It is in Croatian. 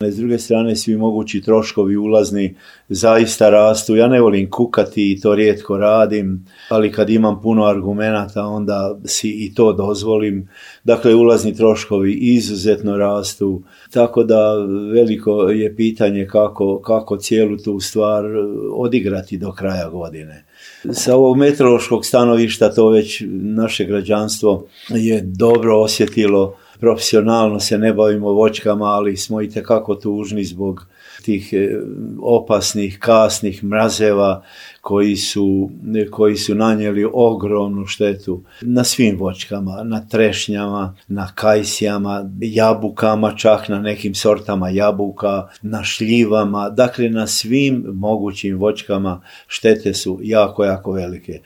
S druge strane, svi mogući troškovi ulazni zaista rastu. Ja ne volim kukati i to rijetko radim, ali kad imam puno argumenata onda si i to dozvolim. Dakle, ulazni troškovi izuzetno rastu, tako da veliko je pitanje kako cijelu tu stvar odigrati do kraja godine. Sa ovog meteorološkog stanovišta to već naše građanstvo je dobro osjetilo. Profesionalno se ne bavimo voćkama, ali smo itekako tužni zbog tih opasnih, kasnih mrazeva koji su nanijeli ogromnu štetu na svim voćkama, na trešnjama, na kajsijama, jabukama, čak na nekim sortama jabuka, na šljivama, dakle na svim mogućim voćkama štete su jako, jako velike.